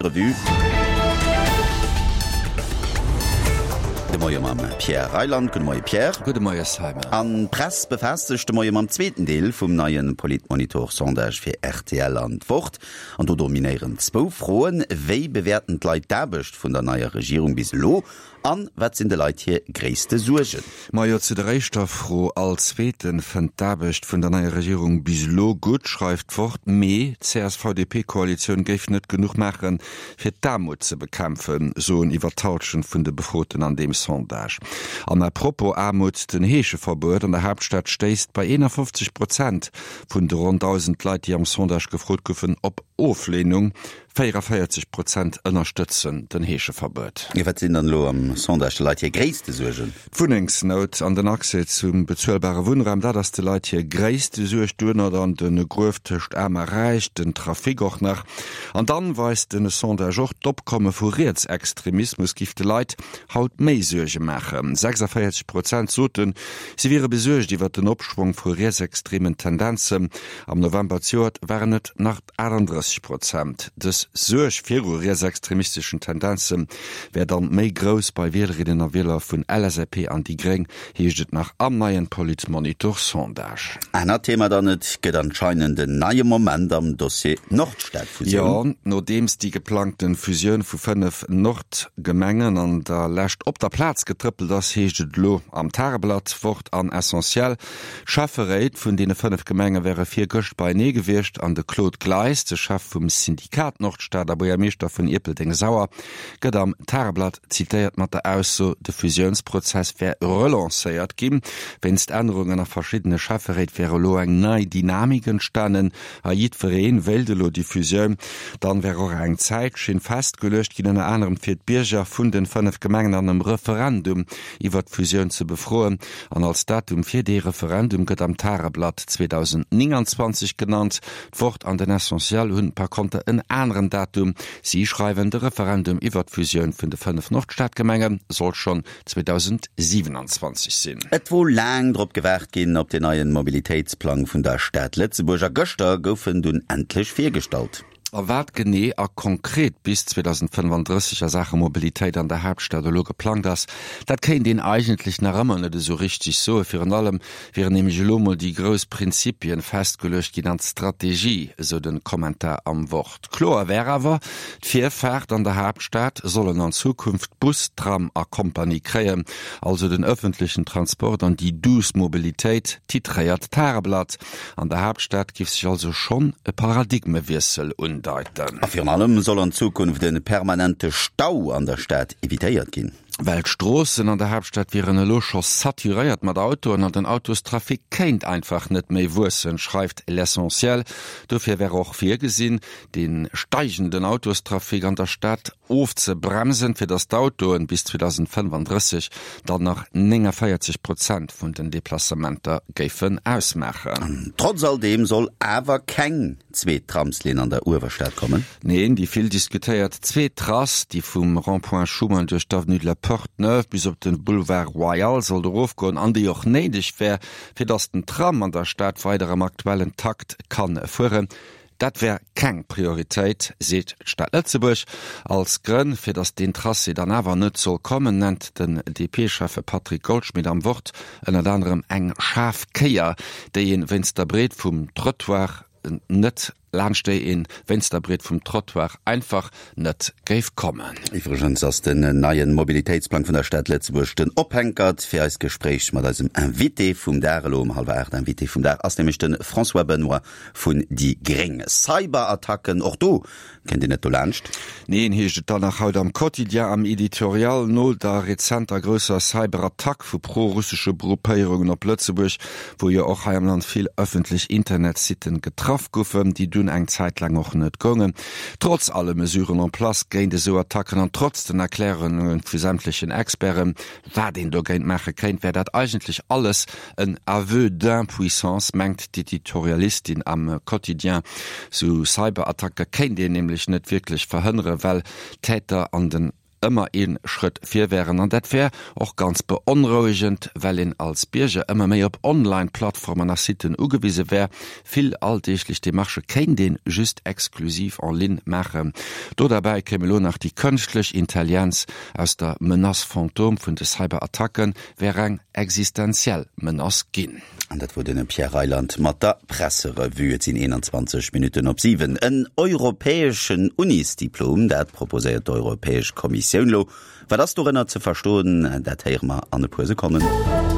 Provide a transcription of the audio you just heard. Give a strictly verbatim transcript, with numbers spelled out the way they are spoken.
Revue. De Moie mam Pierre Reyland. Gudde Moie Pierre. Gudde Moie Simon. An d'Press befaasst sech de Moie mam zweeten Deel vum neie Politmonitor-Sondage fir rtl an d'Wort. An do dominéieren zwou Froen, Wéi bewäerten d'Leit d'Aarbecht vun der neier Regierung bis elo? An wat sinn de Leit hir gréisste Suergen? Majo, zu der éischter Fro, All Zweeten fënnt d'Aarbecht vun der neier Regierung bis elo gutt, schreift d'Wort. Mee d'CSV-DP-Koalitioun géif net genuch maachen, fir d'Aarmut ze bekämpfen, soen iwwer d'Hallschent vun de Befroten an deem Sondage. An à propos Aarmut, Den Heescheverbuet an der Haaptstad stéisst bei eenafofzeg Prozent vun de ronn dausend Leit, déi am Sondage gefrot goufen, op Ofleenung. Véierevéierzeg Prozent ënnerstëtzen den Heescheverbuet. Wat sinn dann elo am Sondage de Leit hir gréisste Suergen? D'Wunnengsnout an den Accès zum bezuelbare Wunnraum, dat ass de Leit hir gréisste Suerg. Duerno dann de Gruef tëscht Aarm a Räich, den Trafic och nach. An dann weist de Sondage och, d'Opkomme vu Rietsextremismus giff de Leit haut méi Suerge maachen. Sechsavéierzeg Prozent soten, si wiere besuergt iwwer den Opschwong vu rietsextremen Tendenzen. Am November zejoert waren et nach achtandrësseg Prozent. Dës Suerg viru rietsextremisteschen Tendenze wär dann méi grouss bei Wielerinnen a Wieler vun L S A P an déi Gréng, heescht et nach am neien Politmonitor-Sondage. Anert Thema dann, Et gëtt anscheinend en neie Moment am Dossier Nordstad-Fusioun. Jo, nodeems déi geplangte Fusioun vu fënnef Nordgemengen an der Lescht op der Plaz getrëppelt ass, heescht et elo am Tageblatt, Wort an Essentiel, D'Schäfferéit vun deene fënnef Gemenge wäre virgëscht beienee gewiescht an de Claude Gleis, de Chef vum Syndikat Nordstad a Buergermeeschter vun Ierpeldeng-Sauer, gëtt am Tageblatt zitéiert mat der Ausso, de Fusiounsprozess wär relancéiert ginn. Wéinst Ännerungen a verschiddene Schäfferéit wär elo eng nei Dynamik entstanen a jiddweree wéilt elo déi Fusioun. Dann wär och eng Zäitschinn festgeluecht ginn, ënner anerem fir d'Bierger vun den fënnef Gemengen an engem Referendum iwwert d'Fusioun ze befroen. An als Datum fir dee Referendum gëtt am Tageblatt zweedausendnénganzwanzeg genannt. D'Wort an den Essentiel hunn par konter en aneren Datum. Si schreiwen, de Referendum iwwert d'Fusioun vun de fënnef Nordstadgemenge soll schonn zweedausendsiwenanzwanzeg sinn. Et wor laang drop gewaart ginn, op den neien Mobilitéitsplang vun der Stad Lëtzebuerg, a gëschter gouf en dunn endlech virgestallt. A wat genee a konkret bis zweedausendfënnefandrësseg a Saache Mobilitéit an der Haaptstad elo geplangt ass, dat kéint een eigentlech nach ëmmer net esou richteg soen. Virun allem wieren nämlech elo mol déi grouss Prinzipien festgeluecht ginn an d'Strategie, esou de Kommentar am Wort. Kloer wär awer, D'Virfaart an der Haaptstad sollen an Zukunft Bus, Tram a Kompanie kréien, also den ëffentlechen Transport an déi douce Mobilitéit, titréiert d'Tageblatt. An der Haaptstad giff sech also schonn e Paradigmewiessel undeiten. A virun allem soll an Zukunft e permanente Stau an der Stad evitéiert ginn. Well d'Stroossen an der Haaptstad wieren elo scho saturéiert mat Autoen an den Autostrafic kéint einfach net méi wuessen, schreift L'Essentiel. Dofir wär och virgesinn, de steigenden Autostrafic an der Stad ofzebremsen, fir datt d'Autoen bis zweedausendfënnefandrësseg dann nach néngavéierzeg Prozent vun den Deplacementer géifen ausmaachen. Trotz all deem soll awer keng zweet Tramslinn an der Uewerstad kommen. Neen, déi vill diskutéiert zweet Trass, déi vum Rond-point Schuman duerch d'Avenue de la Porte-Neuve bis op de Boulevard Royal sollt erofgoen an déi och néideg wär, fir datt den Tram an der Stad weider am aktuellen Takt kann fueren, dat wär keng Prioritéit, seet d'Stad Lëtzebuerg. Als Grënn, fir datt deen Tracé dann awer net soll kommen, nennt den D P-Schäffe Patrick Goldschmidt am Wort ënnert anerem eng schaarf Kéier, déi een wéinst der Breet vum Trottoir net laanscht déi een wéinst der Breet vum Trottoir einfach net géif kommen. Iwwregens ass den neien Mobilitéitsplang vun der Stad Lëtzebuerg den Ophänkert fir eist Gespréich mat eisem Invité vum Dag elo um hallwer aacht. Invité vum Dag ass nämlech de François Benoy vun déi Gréng. Cyberattacken, och do kënnt een net dolaanscht. Neen, heescht et dann nach haut am Quotidien am Editorial, no der rezenter grousser Cyberattack vu pro-russesche Gruppéierungen op Lëtzebuerg, wou jo och hei am Land vill ëffentlech Internetsitten getraff goufen, déi dunn eng Zäit laang och net goungen. Trotz alle Mesuren en place géint esou Attacken an trotz den Erklärunge vu sämtlechen Experten, wat een dogéint maache kéint, wär dat eigentlech alles en Aveu d'impuissance, mengt d'Editorialistin am Quotidien. Sou Cyberattacke kéint een nämlech net wierklech verhënneren, well d'Täter an den ëmmer ee Schrëtt vir wären. An dat wär och ganz beonrouegend, well een als Bierger ëmmer méi op Online-Plattformen a Sitten ugewise wär. Vill alldeeglech Demarchë kéint een just exklusiv en ligne maachen. Do derbäi kéim elo nach déi kënschtlech Intelligenz. Aus der Menace fantôme vun de Cyberattacke wär eng existenziell Menace ginn. An dat wor den Pierre Reyland mat der Presserevue. Et sinn eenanzwanzeg Minutten op siwen. En europäeschen Unisdiplom, dat proposéiert d'Europäesch Kommissioun lo. Wat ass dorënner ze verstoen, dat héiere mer an e puer Sekonnen.